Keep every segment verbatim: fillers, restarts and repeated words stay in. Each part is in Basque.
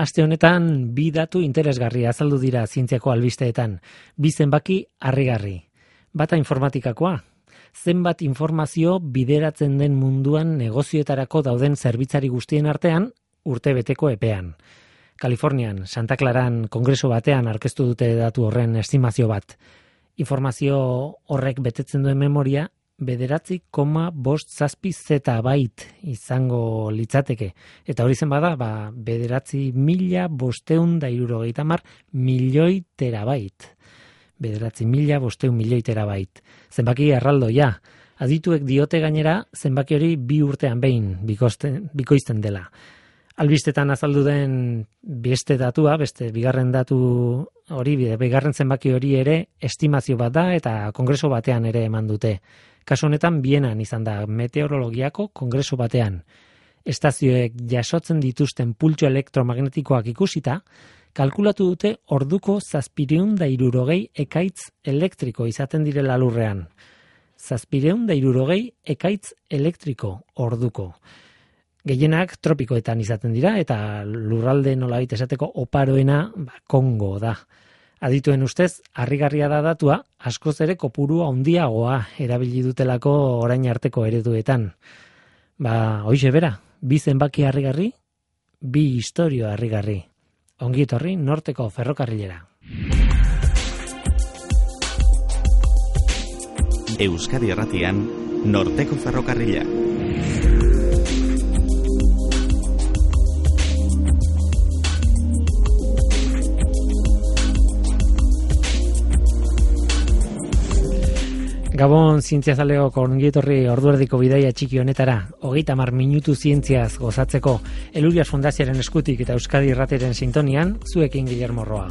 Aste honetan bi datu interesgarri azaldu dira zientziako albisteetan, bi zenbaki harrigarri. Bata informatikakoa, zenbat informazio bideratzen den munduan negozioetarako dauden zerbitzari guztien artean urtebeteko epean. Kalifornian, Santa Claran kongreso batean aurkeztu dute datu horren estimazio bat. Informazio horrek betetzen duen memoria bederatzi koma bost zazpi zetabait izango litzateke. Eta hori zen bada, ba, bederatzi mila bosteun da hirurogeita hamar milioi terabait. Bederatzi mila bosteun milioi terabait. Zenbaki erraldoia. Adituek diote gainera, zenbaki hori bi urtean behin bikoizten, bikoizten dela. Albistetan azaldu den beste datua, beste bigarren datu hori, bigarren zenbaki hori ere estimazio bat da eta kongreso batean ere eman dute. Kasu honetan Bienan izan da meteorologiako kongreso batean. Estazioek jasotzen dituzten pultsu elektromagnetikoak ikusita, kalkulatu dute orduko zazpireun da hirurogei ekaitz elektriko izaten direla lurrean. Zazpireun da hirurogei ekaitz elektriko orduko. Gehienak tropikoetan izaten dira eta lurralde nolabait esateko oparoena ba, Kongo da. Adituen ustez, harrigarria da datua, askoz ere kopuru handiagoa erabili dutelako orain arteko ereduetan. Ba, hoize bera, bi zenbaki harrigarri, bi istorio harrigarri. Ongi etorri Norteko ferrokarrilera. Euskadi Erratian, Norteko ferrokarrila. Gabon zientziazaleok ongietorri orduerdiko bidaia txiki honetara, hogeita hamar minutu zientziaz gozatzeko, Elurias Fundazioaren eskutik eta Euskadi Irratiaren sintonian, zuekin Guillermo Roa.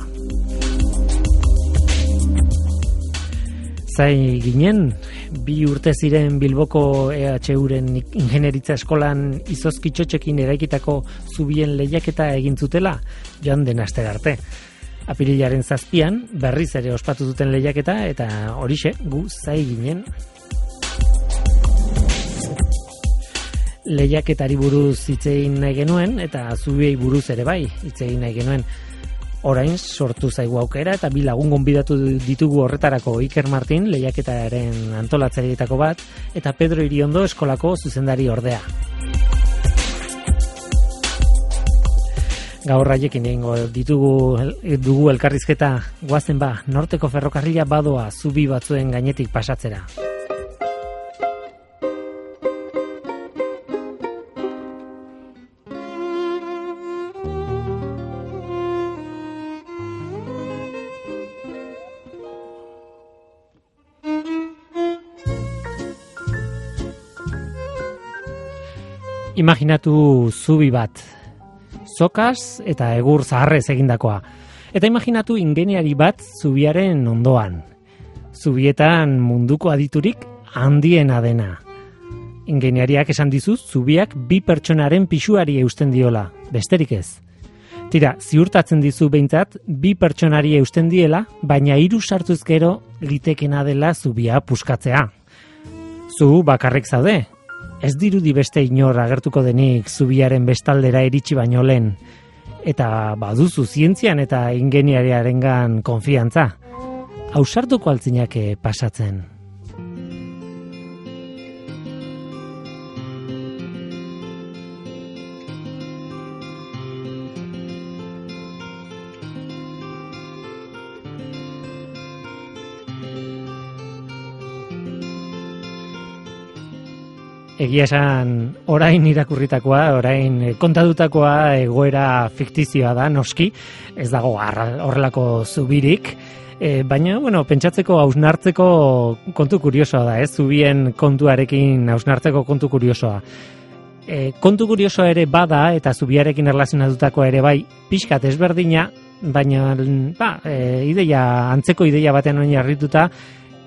Zai ginen, bi urte ziren Bilboko E H Uren ingenieritza eskolan izozkitxotxekin eraikitako zubien lehiaketa egin zutela, joan den astera arte. Apirilaren zazpian, berriz ere ospatu duten lehiaketa, eta horixe, gu zai ginen. Lehiaketari buruz hitz egin nahi genuen, eta zubiei buruz ere bai hitz egin nahi genuen. Orain sortu zaigu aukera, eta bi lagun gonbidatu ditugu horretarako Iker Martin, lehiaketaren antolatzaileetako bat, eta Pedro Iriondo eskolako zuzendari ordea. Gaur haiekin egingo ditugu dugu elkarrizketa, goazen ba, Norteko ferrokarrila badoa zubi batzuen gainetik pasatzera. Imaginatu zubi bat. Zokaz eta egur zaharrez egindakoa. Eta imaginatu ingeniari bat zubiaren ondoan. Zubietan munduko aditurik handiena dena. Ingeniariak esan dizu zubiak bi pertsonaren pisuari eusten diola, besterik ez. Tira, ziurtatzen dizu behintzat bi pertsonari eusten diela, baina hiru sartuz gero litekena dela zubia puskatzea. Zu bakarrik zaude. Ez dirudi beste inor agertuko denik zubiaren bestaldera iritsi baino lehen. Eta baduzu zientzian eta ingeniariarengan konfiantza. Ausartuko altzinake pasatzen. Egia esan, orain irakurritakoa, orain kontadutakoa egoera fiktizioa da, noski, ez dago horrelako zubirik, e, baina, bueno, pentsatzeko hausnartzeko kontu kuriosoa da, ez, zubien kontuarekin hausnartzeko kontu kuriosoa. E, kontu kuriosoa ere bada, eta zubiarekin erlazionatutakoa ere bai, pixkat ezberdina, baina, ba, e, ideia, antzeko ideia batean oin arrituta,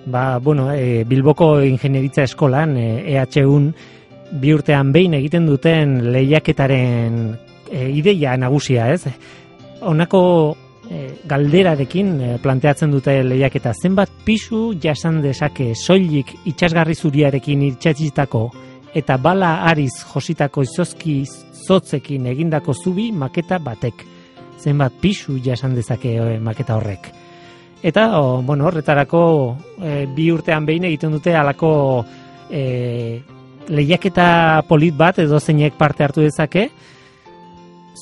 Ba, bueno, e, Bilboko ingenieritza eskolan, e, E H Un, bi urtean behin egiten duten lehiaketaren e, ideia nagusia, ez? Honako e, galderarekin e, planteatzen dute lehiaketa, zenbat pisu jasan dezake soilik itsasgarri zuriarekin itsatsitako eta bala ariz jositako izozki zotzekin egindako zubi maketa batek. zenbat pisu jasan dezake e, maketa horrek. Eta, o, bueno, horretarako e, bi urtean behin egiten dute halako e, lehiaketa polit bat edo zeinek parte hartu dezake,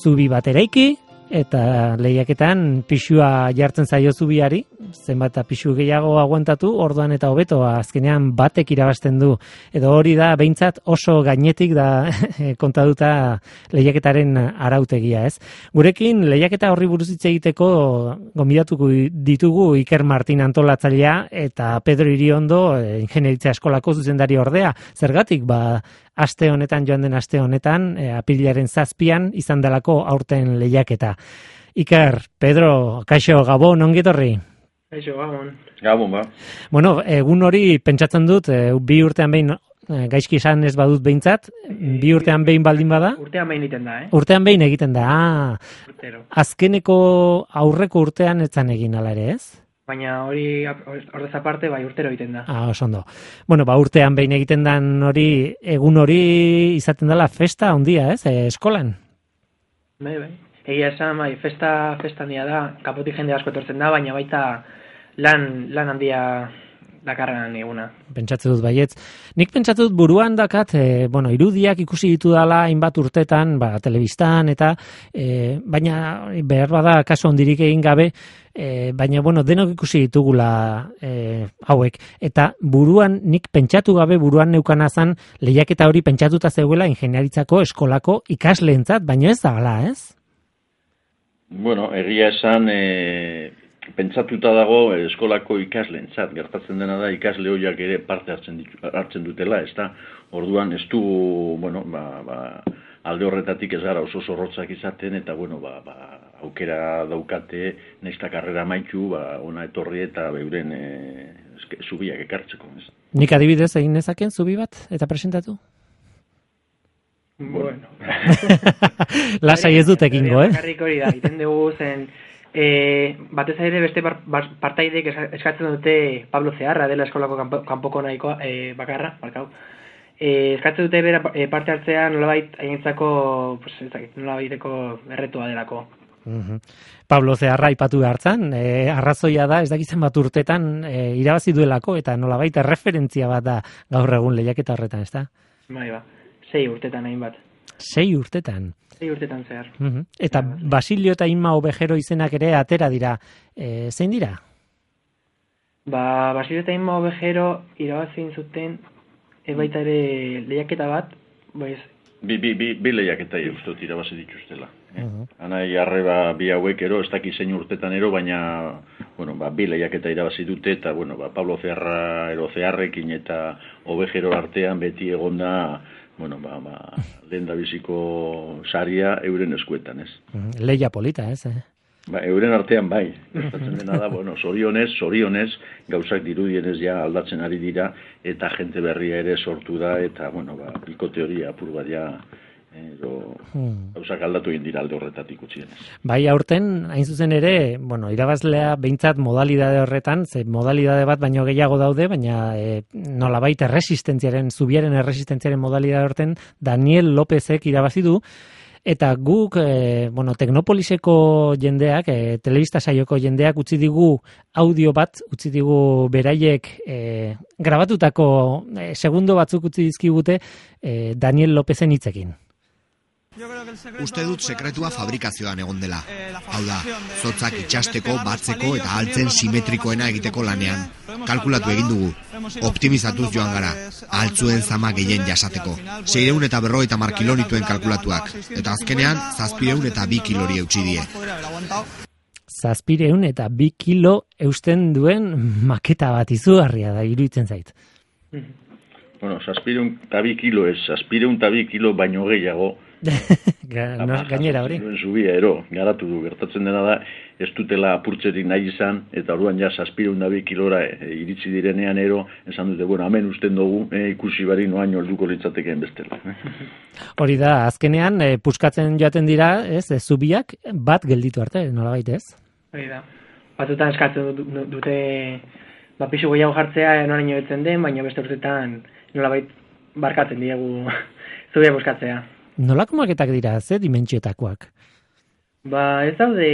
zubi bat eraiki, eta lehiaketan pisua jartzen zaio zubiari, zenbat pisu gehiago aguantatu, orduan eta hobeto azkenean batek irabazten du. Edo hori da, behintzat oso gainetik da kontatuta lehiaketaren arautegia, ez? Gurekin lehiaketa horri buruz hitz egiteko gonbidatuko ditugu Iker Martin antolatzailea eta Pedro Iriondo ingenieritza eskolako zuzendari ordea. Zergatik, ba, aste honetan, joan den aste honetan, e, apirilaren zazpian izan delako aurten lehiaketa. Iker, Pedro, kaixo, Gabon, ongi etorri? Kaixo, Gabon. Gabon, ba. Bueno, egun hori pentsatzen dut, e, bi urtean behin, e, gaizki esan ez badut behintzat, bi urtean behin baldin bada? Urtean behin egiten da, eh? Urtean behin egiten da, ah. Urtero. Azkeneko aurreko urtean etzan egin ala ere, ez? Baina hori ordez aparte bai urtero egiten da. Ah, oso ondo. Bueno, ba urtean behin egiten dan hori, egun hori izaten dela festa handia, ez? E, eskolan. Bai, bai. Egia esan, bai, festa festa handia da, kanpotik jende asko etortzen da, baina baita lan lan handia dakarren eguna. Pentsatze dut baietz. Nik pentsatu dut buruan dakat, e, bueno, irudiak ikusi ditu dala hainbat urtetan, ba, telebistan eta e, baina behar bada kaso hondirik egin gabe, e, baina bueno, denok ikusi ditugula e, hauek eta buruan nik pentsatu gabe buruan neukana zan lehiaketa hori pentsatuta zegoela ingeniaritzako eskolako ikasleentzat, baina ez da hala, ez? Bueno, egia esan e... pentsatuta dago eskolako ikasleentzat, gertatzen dena da ikasle horiek ere parte hartzen ditu, hartzen dutela, ezta? Orduan ez du, bueno, ba, ba, alde horretatik ez gara oso zorrotzak izaten eta bueno, ba, ba, aukera daukate naizta karrera amaitu, ba ona etorri eta beuren e, eske, zubiak ekartzeko, ez? Nik adibidez egin nezaken zubi bat eta presentatu? Bueno. Lasai ez dut egingo, eh? Bakarrik hori da, egiten dugu zen E, batez ere beste bar, bar, partaidek eskatzen dute Pablo Zeharra dela eskolako kanpo, kanpoko nahikoa e, bakarra, barkau. E, eskatzen dute bera e, parte hartzea nolabait haientzako, pues, nolabaiteko erretua delako. Uh-huh. Pablo Zeharra aipatu hartzan, e, arrazoia da, ez dakitzen bat urtetan e, irabazi duelako eta nolabait erreferentzia bat da gaur egun lehiaketa horretan, ezta? Bai, ba. Sei urtetan hainbat. Sei urtetan. Sei urtetan zehar. Uh-huh. Eta Basilio eta Inma Obejero izenak ere atera dira. E, zein dira? Ba, Basilio eta Inma Obejero irabazin zuten e, baita ere lehiaketa bat, pues, Bi, bi, bi, bi lehiaketa ustot irabazi dituztela. Eh? Uh-huh. Anai arreba bi hauek ero, ez daki zein urtetan ero, baina bueno, ba, bi lehiaketa irabazi dute eta bueno, ba, Pablo Zeharra ero Zeharrekin eta Obejero artean beti egonda bueno, ba, ba, lehen da biziko saria euren eskuetan, ez? Uh-huh. Leia polita, ez? Eh? Ba, euren artean bai, gertatzen dena da, bueno, zorionez, zorionez, gauzak dirudienez ja aldatzen ari dira, eta jente berria ere sortu da, eta, bueno, ba, bikote hori apur bat ja, edo, hmm. gauzak aldatu egin dira alde horretatik utzienez. Bai, aurten, hain zuzen ere, bueno, irabazlea behintzat modalidade horretan, ze modalidade bat baino gehiago daude, baina e, nolabait erresistentziaren, zubiaren erresistentziaren modalidade horretan, Daniel Lópezek irabazi du, eta guk, e, bueno, Teknopoliseko jendeak, e, telebista saioko jendeak utzi digu audio bat, utzi digu beraiek e, grabatutako e, segundo batzuk utzi dizkigute e, Daniel Lópezen hitzekin. Uste dut sekretua fabrikazioan egon dela. Hau da, zotzak itxasteko, batzeko eta altzen simetrikoena egiteko lanean. Kalkulatu egin dugu. Optimizatuz joan gara. Altzuen zama gehien jasateko. Seireun eta berrogeita hamar kilonituen kalkulatuak. Eta azkenean, zazpireun eta bi kilori eutsi die. Zazpireun eta bi kilo eusten duen maketa bat izugarria da, iruditzen zait. Bueno, zazpireun eta bi kilo ez, zazpireun eta bi kilo baino gehiago. no, gainera hori. Zubia ero, garatu du, gertatzen dena da, ez dutela apurtzerik nahi izan, eta orduan ja zazpireun eta bi kilora e, iritsi direnean ero, esan dute, bueno, hemen usten dugu, e, ikusi bari noain orduko litzatekeen bestela. Hori da, azkenean, e, puskatzen joaten dira, ez, e, zubiak bat gelditu arte, nolabait ez? Hori da, batzutan eskatzen dute, ba, pisu gehiago jartzea, noraino betzen den, baina beste urtetan nolabait barkatzen diegu zubia puskatzea. Nolako maketak dira, ze dimentsioetakoak? Ba, ez daude,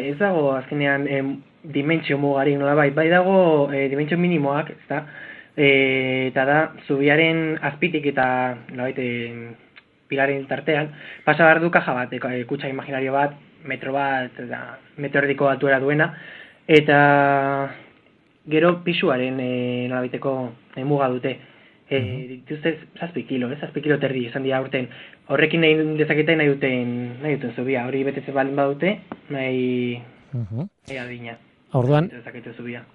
ez dago azkenean em, dimentsio mugarik nolabait, bai dago e, dimentsio minimoak, ezta? E, eta da, zubiaren azpitik eta nolabait e, pilaren tartean, pasa behar du kaja bat, e, kutsa imaginario bat, metro bat, eta metro erdiko altuera duena, eta gero pisuaren e, nolabaiteko e, muga dute. E, dituzte zazpi kilo, ez? Zazpi kilo terdi esan dira urten. Horrekin nahi dezaketa nahi duten, nahi duten zubia. Hori betetzen balin badute, nahi, uh-huh. nahi adina. Orduan,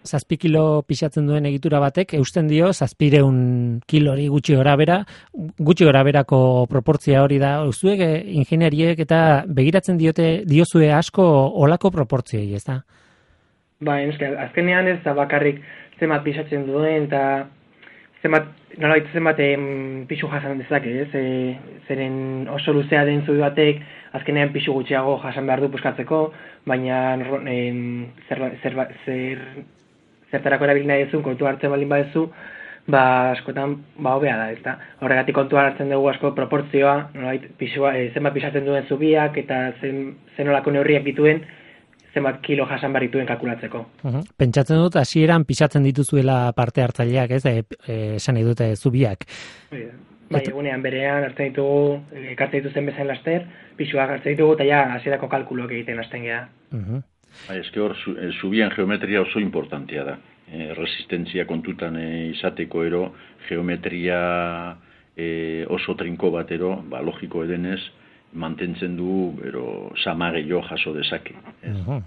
zazpi kilo pixatzen duen egitura batek, eusten dio, zazpireun kilori gutxi gorabera, gutxi goraberako proportzia hori da, zuek ingenieriek eta begiratzen diote, diozue asko olako proportzioi, ez da? Ba, azkenean ez da bakarrik zenbat pixatzen duen, eta zenbat, nolabait zenbat pixu jasan dezake, ez? E, zeren oso luzea den zubi batek, azkenean pixu gutxiago jasan behar du puskatzeko, baina en, zer, zer, zer, zertarako erabili nahi ezun, kontu hartzen baldin badezu, ba, askotan, ba, hobea da, ez da? Horregatik kontu hartzen dugu asko proportzioa, nolabait, pixua, e, zenbat pixatzen duen zubiak, eta zen, zenolako neurriak dituen, zenbat kilo jasan behar dituen kalkulatzeko. Uh-huh. Pentsatzen dut, hasieran pixatzen dituzuela parte hartzaileak, ez, e, e, esan nahi dute zubiak. Bai, egunean berean hartzen ditugu, ekartzen dituzen bezain laster, pixuak hartzen ditugu, eta ja, hasierako kalkuloak egiten hasten geha. Uh-huh. Bai, eske hor, zubian geometria oso importantia da. E, resistentzia kontutan e, izateko ero, geometria e, oso trinko batero, ba, logiko edenez, mantentzen du, ero, samageio jaso dezake. Uh-huh.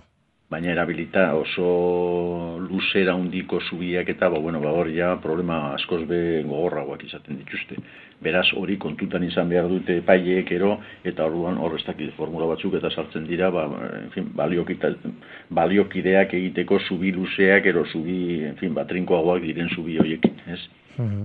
Baina erabilita oso luzera hundiko zubiak eta, ba, bueno, ba, hor ja problema askoz be gogorragoak izaten dituzte. Beraz, hori kontutan izan behar dute epaileek ero, eta orduan hor ez dakit formula batzuk eta sartzen dira, ba, en fin, baliokideak egiteko zubi luzeak, ero zubi, en fin, batrinkoagoak diren zubi horiekin, ez? Hmm.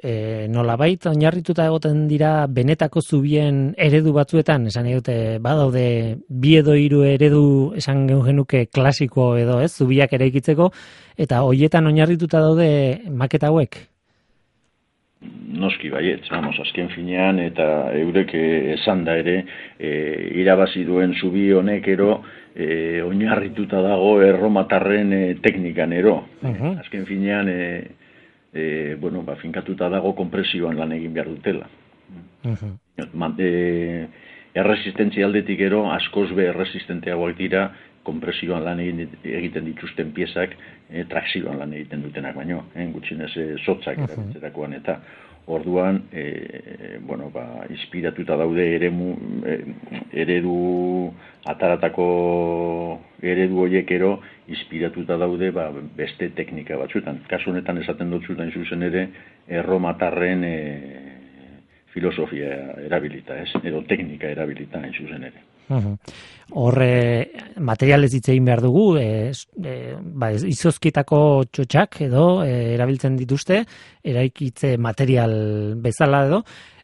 E, nolabait oinarrituta egoten dira benetako zubien eredu batzuetan, esan dute badaude bi edo hiru eredu esan genuke klasiko edo ez, zubiak eraikitzeko, eta hoietan oinarrituta daude maketa hauek? Noski baietz, vamos, azken finean eta eurek esan da ere e, irabazi duen zubi honek ero e, oinarrituta dago erromatarren e, teknikan ero. Uh-huh. Azken finean e, E, bueno, ba, finkatuta dago konpresioan lan egin behar dutela. Uh-huh. E, erresistentzia aldetik ero, askoz be erresistenteagoak dira, konpresioan lan egin, egiten dituzten piezak, e, trakzioan lan egiten dutenak baino, eh, gutxinez e, sotzak uh-huh. erabiltzerakoan, eta orduan, e, bueno, ba, inspiratuta daude eremu, e, eredu, ataratako eredu horiek ero, inspiratuta daude ba, beste teknika batzuetan. Kasu honetan esaten dut zutan zuzen ere, erromatarren e, filosofia erabilita, ez? Edo teknika erabilita hain zuzen ere. Horre uh-huh. materialez hitz egin behar dugu, e, e, ba, izozkitako txotxak edo e, erabiltzen dituzte, eraikitze material bezala edo,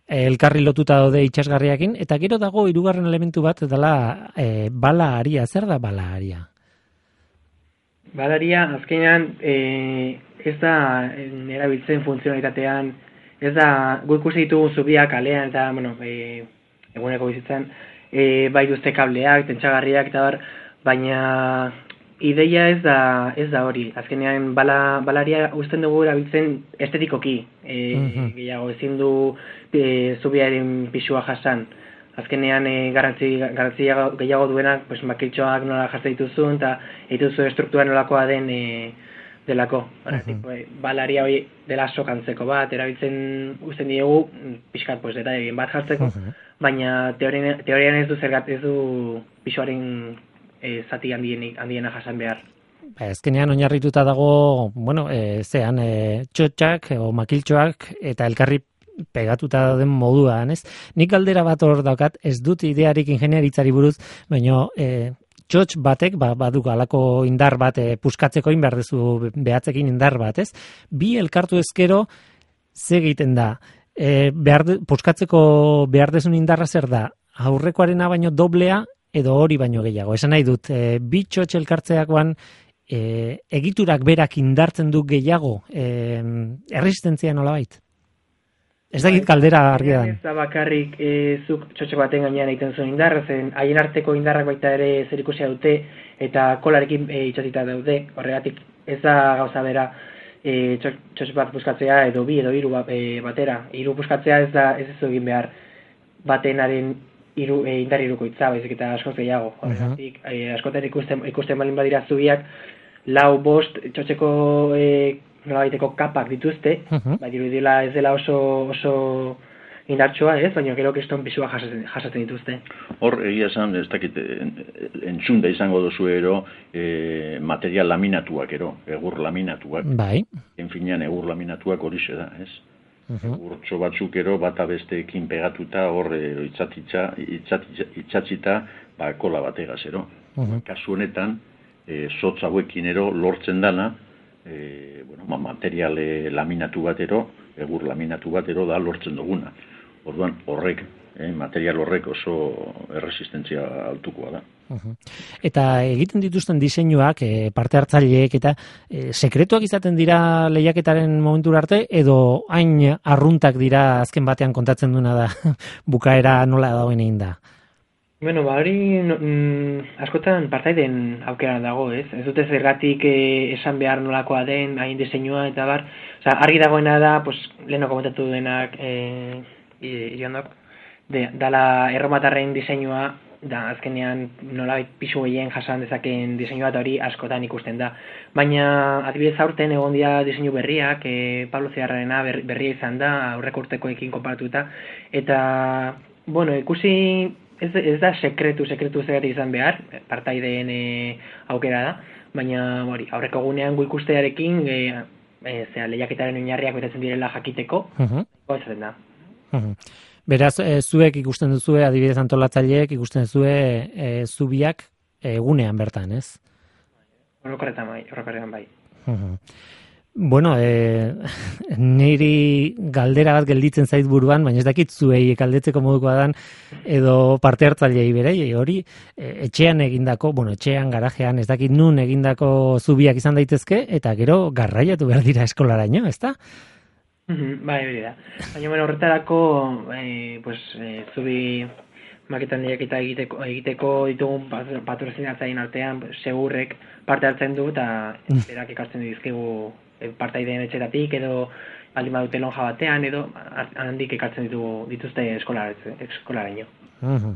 e, elkarri lotuta daude itsasgarriakin, eta gero dago hirugarren elementu bat dela e, bala aria. Zer da bala aria? Bala aria, azkenean, e, ez da erabiltzen funtzionalitatean, ez da gu ikusi ditugu zubiak kalean eta, bueno, e, eguneko bizitzen, E, bai duzte kableak, tentsagarriak eta bar, baina ideia ez da ez da hori. Azkenean bala, balaria uzten dugu erabiltzen estetikoki. E, uh-huh. Gehiago ezin du e, zubiaren pisua jasan. Azkenean e, garrantzi, garrantzi gehiago duenak, pues, makiltxoak nola jartzen dituzun, eta dituzu estruktura nolakoa den e, delako. Uh-huh. Balaria hori dela sokantzeko bat, erabiltzen uzten diegu, pixkat, pues, eta egin bat jartzeko. Uh-huh. Baina teorian, teorian ez du zergat ez du pisuaren e, zati handienik, handiena jasan behar. Ezkenean oinarrituta dago, bueno, e, zean e, txotxak o makiltxoak eta elkarri pegatuta dauden moduan, ez? Nik galdera bat hor daukat, ez dut idearik ingeniaritzari buruz, baina e, txotx batek, ba, baduk alako indar bat e, puskatzeko indar dezu behatzekin indar bat, ez? Bi elkartu ezkero, ze egiten da? E, behar de, puskatzeko behar dezun indarra zer da? Aurrekoarena baino doblea edo hori baino gehiago. Esan nahi dut, e, bi txotx elkartzeakoan e, egiturak berak indartzen du gehiago, e, erresistentzia nolabait? Ez da git kaldera argia da. Ez da bakarrik e, zuk txotxo baten gainean egiten zuen indarra, zen haien arteko indarrak baita ere zerikusia dute eta kolarekin e, itxatita daude. Horregatik ez da gauza bera e, txotxo bat buskatzea edo bi edo hiru e, batera. Hiru buskatzea ez da ez ez egin behar batenaren iru, e, indar hirukoitza, baizik eta askoz gehiago. Horregatik e, askotan ikusten, ikusten balin badira zubiak lau bost txotxeko e, nolabaiteko kapak dituzte, uh-huh. Bai dirudila ez dela oso oso indartsua, ez, baina gero keston pisua jasatzen, jasatzen dituzte. Hor, egia esan, ez dakit, entzunda izango dozu ero, e, material laminatuak ero, egur laminatuak. Bai. Enfinean, egur laminatuak horixe da, ez? Uh-huh. Egurtxo batzuk ero, bata besteekin pegatuta, hor, itzatitza, itzatitza, itzatzita, ba, kola bategaz ero. Uh-huh. Kasu honetan, e, zotz hauekin ero, lortzen dana, E, bueno, material laminatu batero, egur laminatu batero da lortzen duguna. Orduan horrek, eh, material horrek oso erresistentzia altukoa da. Uh-huh. Eta egiten dituzten diseinuak, e, parte hartzaileek eta e, sekretuak izaten dira lehiaketaren momentura arte, edo hain arruntak dira azken batean kontatzen duena da bukaera nola dagoen egin da? Bueno, ba, hori no, mm, askotan partaiden aukera dago, ez? Ez dute zergatik eh, esan behar nolakoa den, hain diseinua eta bar. Osa, argi dagoena da, pues, leheno komentatu denak eh, iriondok, de, dala erromatarren diseinua, da azkenean nolabait pisu gehien jasan dezakeen diseinua eta hori askotan ikusten da. Baina adibidez aurten egon dira diseinu berriak, eh, Pablo Zeharrarena ber, berria izan da, aurreko urtekoekin konparatuta, eta, bueno, ikusi... Ez, ez da sekretu, sekretu zergatik izan behar, partaideen e, aukera da, baina hori, aurreko gunean gu ikustearekin e, e, zera, lehiaketaren oinarriak betetzen direla jakiteko, uh-huh. Goizaten da. Uh-huh. Beraz, e, zuek ikusten duzue, adibidez antolatzaileek ikusten duzue e, zubiak egunean bertan, ez? Orokorretan bai, orokorretan bai. Uh-huh. Bueno, e, niri galdera bat gelditzen zait buruan, baina ez dakit zuei galdetzeko modukoa dan, edo parte hartzailei berei, hori e, etxean egindako, bueno, etxean, garajean, ez dakit nun egindako zubiak izan daitezke, eta gero garraiatu behar dira eskolaraino, ezta? Bai, hori da. Baina, bueno, horretarako, e, pues, e, zubi maketan lehiaketa egiteko, egiteko ditugun patrozinatzaien artean, segurrek parte hartzen du, eta berak ikasten dizkigu partaideen etxetatik edo baldin badute lonja batean edo handik ekartzen ditu dituzte eskolaraino. Uh-huh.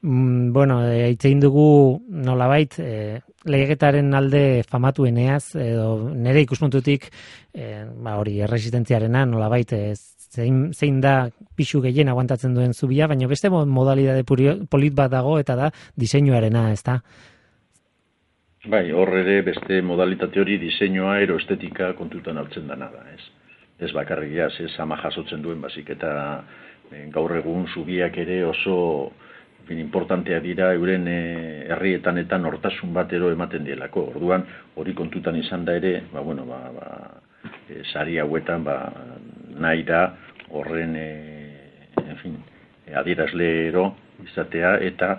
Mm, bueno, hitzein dugu nolabait e, lehiaketaren alde famatueneaz edo nire ikuspuntutik e, ba hori erresistentziarena nolabait e, zein, zein da pisu gehien aguantatzen duen zubia, baina beste modalidade polit bat dago eta da diseinuarena, ezta? Bai, hor ere beste modalitate hori diseinua ero estetika kontutan hartzen dana da, ez? Ez bakarrik jaz, ez ama jasotzen duen bazik eta e, gaur egun zubiak ere oso bin, importantea dira euren e, herrietan eta nortasun batero ematen dielako. Orduan hori kontutan izan da ere, ba, bueno, ba, ba, e, sari hauetan ba, nahi da horren e, en fin, adierazleero izatea eta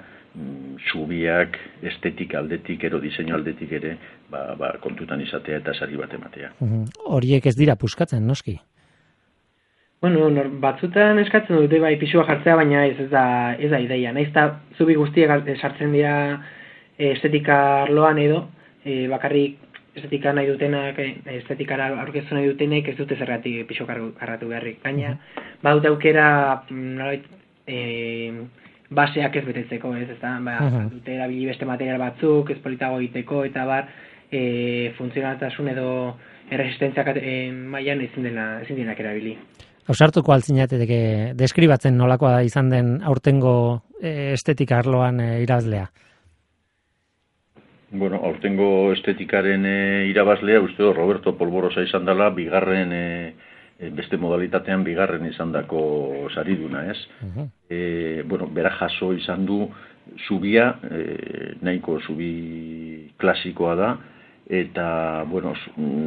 zubiak estetik aldetik ero diseinu aldetik ere ba, ba, kontutan izatea eta sari bat ematea. Uh-huh. Horiek ez dira puskatzen, noski? Bueno, nor, batzutan eskatzen dute bai pisua jartzea, baina ez, ez da ez da ideia. Naiz eta zubi guztiak sartzen dira estetika arloan edo e, bakarrik estetika nahi dutenak, estetikara aurkeztu nahi dutenek ez dute zergatik pisu karratu beharrik. Gaina, uh-huh. Badute aukera nolabait e, baseak ez betetzeko, ez, ezta, ba, uh-huh. Dute erabili beste material batzuk, ez politago egiteko, eta bar, e, funtzionaltasun edo erresistentziak e, mailan ezin dena, ezin denak erabili. Ausartuko altzinateke deskribatzen nolakoa izan den aurtengo e, estetika arloan e, irabazlea? Bueno, aurtengo estetikaren e, irabazlea, uste Roberto Polborosa izan dela, bigarren e, beste modalitatean bigarren izandako sariduna, ez? Uh-huh. E, bueno, bera jaso izan du zubia, e, nahiko zubi klasikoa da, eta, bueno,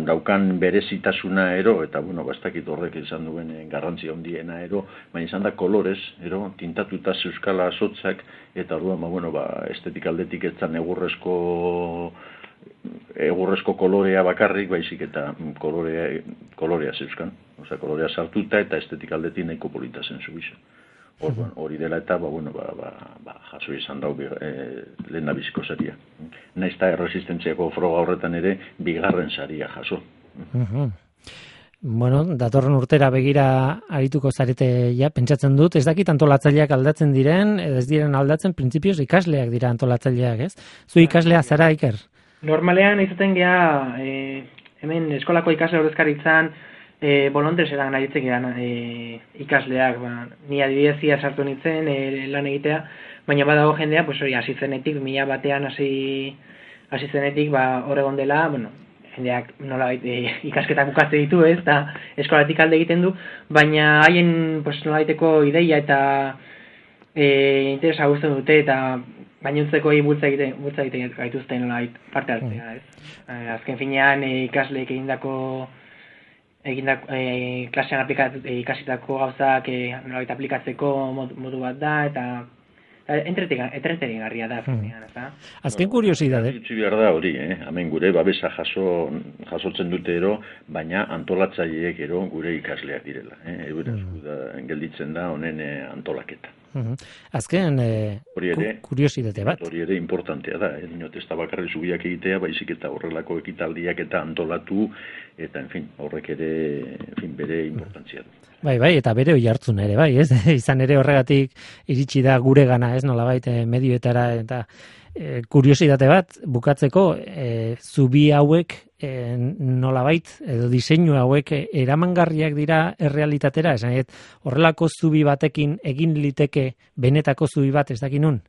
daukan berezitasuna ero, eta, bueno, bastakit horrek izan duen garrantzia handiena ero, baina izan da kolorez, ero, tintatuta zeuskala azotzak, eta orduan, ba, bueno, ba, estetik aldetik etzan egurrezko egurrezko kolorea bakarrik, baizik eta kolorea, kolorea zeuzkan. Osa, kolorea sartuta eta estetik aldetik nahiko polita zen zubisa. Orduan, hori dela eta, ba, bueno, ba, ba, ba, jaso izan dau e, lehen nabiziko saria. Naiz eta erresistentziako froga horretan ere bigarren saria jaso. Uh-huh. Bueno, datorren urtera begira arituko zarete ja, pentsatzen dut, ez dakit antolatzaileak aldatzen diren, ez diren aldatzen, printzipioz ikasleak dira antolatzaileak, ez? Zu ikaslea zara, Iker? Normalean izaten geha, e, hemen eskolako ikasle ordezkaritzan, E, bolondrez edan aritzek edan e, ikasleak, ba, ni adibidez ia sartu nintzen e, lan egitea, baina badago jendea, pues hori, hasi zenetik, mila batean hasi hasi zenetik, ba, hor egon dela, bueno, jendeak nola e, ikasketak bukatze ditu, ez, eta eskolatik alde egiten du, baina haien, pues, nola baiteko ideia eta e, interesa guztien dute, eta gainontzeko bultza egiten, bultza egiten gaituzten nola parte hartzea, ez. E, azken finean e, ikasleek egindako egindak e, klasean aplikat, e, ikasitako gauzak e, nolabait aplikatzeko modu, modu bat da, eta entretegarria da. Hmm. Eta azken kuriosidade. Itzi behar da hori, eh? Hemen gure babesa jaso, jasotzen dute ero, baina antolatzaileek ero gure ikasleak direla. Eh? Eura, hmm. gelditzen da honen eh, antolaketa. Uh-huh. Azken eh, ere, kuriosidade bat. Hori ere importantea da, eh? Dinot, ez da bakarri zubiak egitea, baizik eta horrelako ekitaldiak eta antolatu, eta, en fin, horrek ere, en fin, bere importantzia du. Bai, bai, eta bere oi hartzun ere, bai, ez? Izan ere horregatik iritsi da gure gana, ez? Nolabait medioetara, eta e, kuriosidade bat, bukatzeko, e, zubi hauek e, nolabait, edo diseinu hauek eramangarriak dira errealitatera, esan, et, horrelako zubi batekin egin liteke benetako zubi bat, ez dakinun?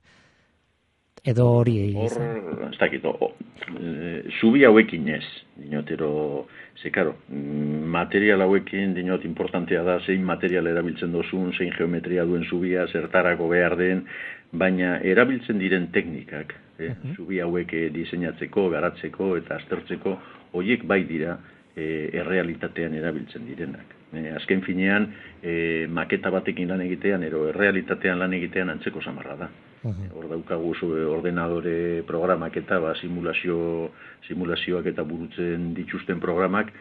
Edo hori egin? Hor, ez dakit, e, zubi hauekin ez, dinotero, ze, karo, material hauekin, dinot, importantea da, zein material erabiltzen dozun, zein geometria duen zubia, zertarako behar den, baina erabiltzen diren teknikak, eh? uh-huh. zubi hauek diseinatzeko, garatzeko eta aztertzeko, horiek bai dira eh, errealitatean erabiltzen direnak. Eh, azken finean, eh, maketa batekin lan egitean, ero errealitatean lan egitean antzeko samarra da. Uh-huh. Hor daukagu ordenadore programak eta ba, simulazio, simulazioak eta burutzen dituzten programak,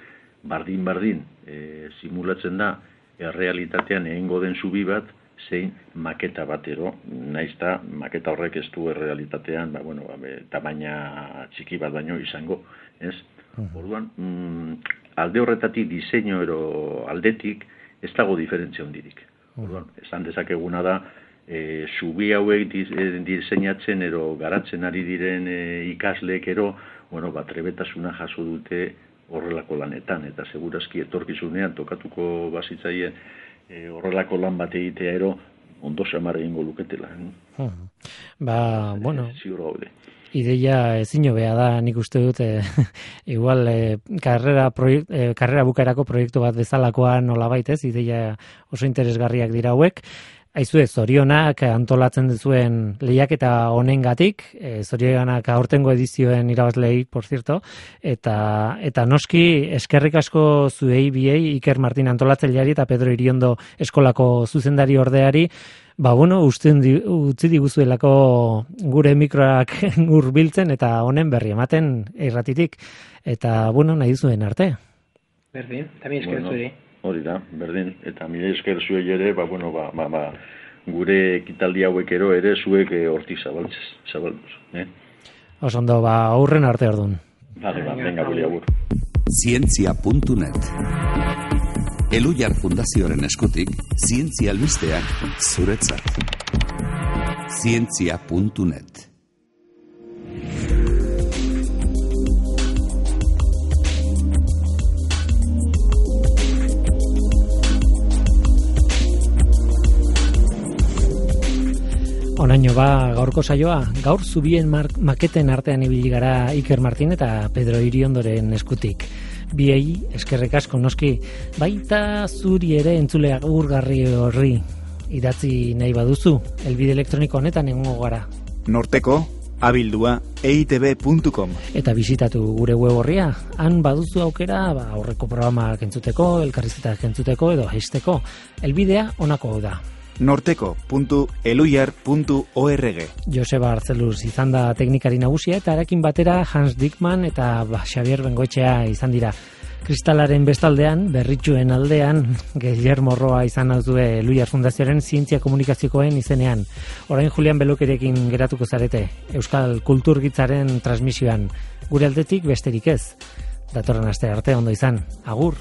bardin-bardin e, simulatzen da errealitatean egingo den zubi bat, zein maketa batero, naizta maketa horrek ez du errealitatean, ba, bueno, ba, tamaina txiki bat baino izango, ez? Uh-huh. Orduan, mm, alde horretatik diseinu ero aldetik ez dago diferentzia hondirik. Orduan, esan dezakeguna da, E, zubi hauek diseinatzen ero garatzen ari diren e, ikasleek ero, bueno, ba, trebetasuna jaso dute horrelako lanetan, eta segurazki etorkizunean tokatuko bazitzaien e, horrelako lan bat egitea ero, ondo samar egingo luketela. Hmm. Ba, e, bueno, ziur gaude. Ideia ezin hobea da, nik uste dut, e, igual, e, karrera, proiekt, e, karrera bukaerako proiektu bat bezalakoa nolabait ez, ideia oso interesgarriak dira hauek. Aizue, zorionak antolatzen duzuen lehiaketa honengatik, e, zorionak aurtengo edizioen irabazlei, por cierto, eta, eta noski eskerrik asko zuei biei, Iker Martin antolatzaileari eta Pedro Iriondo eskolako zuzendari ordeari, ba, bueno, usten di, utzi diguzuelako gure mikroak hurbiltzen eta honen berri ematen irratitik, eta, bueno, nahi duzuen arte. Berdin, tamien esker bueno. zuei. Hori da, berdin, eta mila esker zuei ere, ba, bueno, ba, ba, ba, gure ekitaldi hauek ero ere zuek e, hortik zabaltzez, zabalduz, eh? Osondo, ba, aurren arte ordun. Vale, ba, venga, guri agur. Zientzia puntu net Eluyar Fundazioaren eskutik, zientzia albisteak zuretzat. Zientzia puntu net Onaino ba gaurko saioa, gaur zubien maketen artean ibili gara Iker Martin eta Pedro Iriondoren eskutik. Biei eskerrek asko noski, baita zuri ere entzule agurgarri horri idatzi nahi baduzu, helbide elektroniko honetan egongo gara. Norteko abildua e i te be puntu com Eta bisitatu gure web orria, han baduzu aukera ba, aurreko programak entzuteko, elkarrizketak entzuteko edo jaisteko. Helbidea honako hau da. norteko puntu eluyar puntu org Joseba Arzeluz izan da teknikari nagusia eta harekin batera Hans Dickman eta ba, Xavier Bengoetxea izan dira Kristalaren bestaldean, berritxuen aldean, Guillermo Roa izan hauzue Luiar Fundazioaren zientzia komunikaziokoen izenean. Orain Julian Belokerekin geratuko zarete, Euskal Kulturgitzaren transmisioan. Gure aldetik besterik ez. Datorren aste arte ondo izan. Agur!